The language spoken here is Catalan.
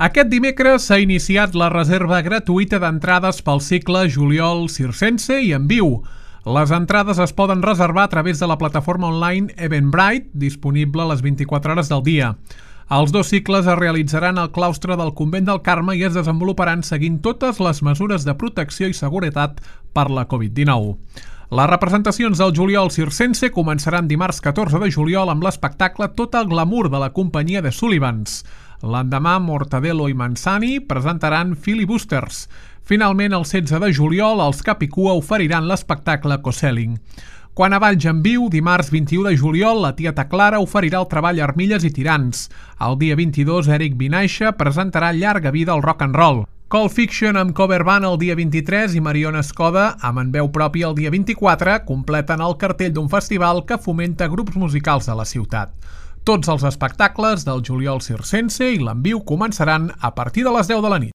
Aquest dimecres s'ha iniciat la reserva gratuïta d'entrades pel cicle Juliol Circense i en viu. Les entrades es poden reservar a través de la plataforma online Eventbrite, disponible a les 24 hores del dia. Els dos cicles es realitzaran al claustre del Convent del Carme i es desenvoluparan seguint totes les mesures de protecció i seguretat per la Covid-19. Les representacions del Juliol Circense començaran dimarts 14 de juliol amb l'espectacle Tot el glamour de la companyia de Sullivans. L'endemà, Mortadelo i Manzani presentaran Filibusters. Finalment, el 16 de juliol, els Capicua oferiran l'espectacle Coselling. Quant a balls en viu, dimarts 21 de juliol, la Tieta Clara oferirà el treball Armilles i Tirants. El dia 22, Eric Vinaixa presentarà Llarga vida al rock and roll. Cold Fiction amb cover band el dia 23 i Mariona Escoda, amb en veu pròpia el dia 24, completen el cartell d'un festival que fomenta grups musicals de la ciutat. Tots els espectacles del Juliol Circense i l'enviu començaran a partir de les 10 de la nit.